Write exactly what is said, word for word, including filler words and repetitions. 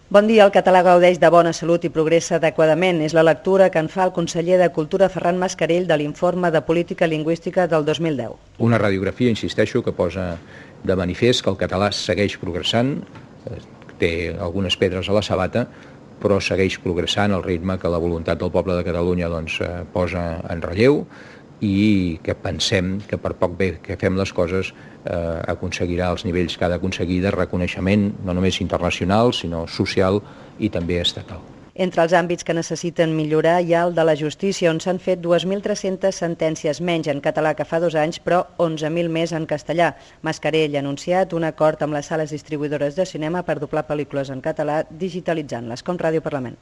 Bon dia, el català gaudeix de bona salut i progressa adequadament. És la lectura que en fa el conseller de Cultura Ferran Mascarell de l'informe de política lingüística del dos mil deu. Una radiografia, insisteixo, que posa de manifest que el català segueix progressant, té algunes pedres a la sabata, però segueix progressant al ritme que la voluntat del poble de Catalunya doncs, posa en relleu i que pensem que per poc bé que fem les coses eh, aconseguirà els nivells que ha d'aconseguir de reconeixement no només internacional sinó social i també estatal. Entre els àmbits que necessiten millorar hi ha el de la justícia, on s'han fet dues mil tres-centes sentències menys en català que fa dos anys, però onze mil més en castellà. Mascarell ha anunciat un acord amb les sales distribuïdores de cinema per doblar pel·lícules en català digitalitzant-les, com Ràdio Parlament.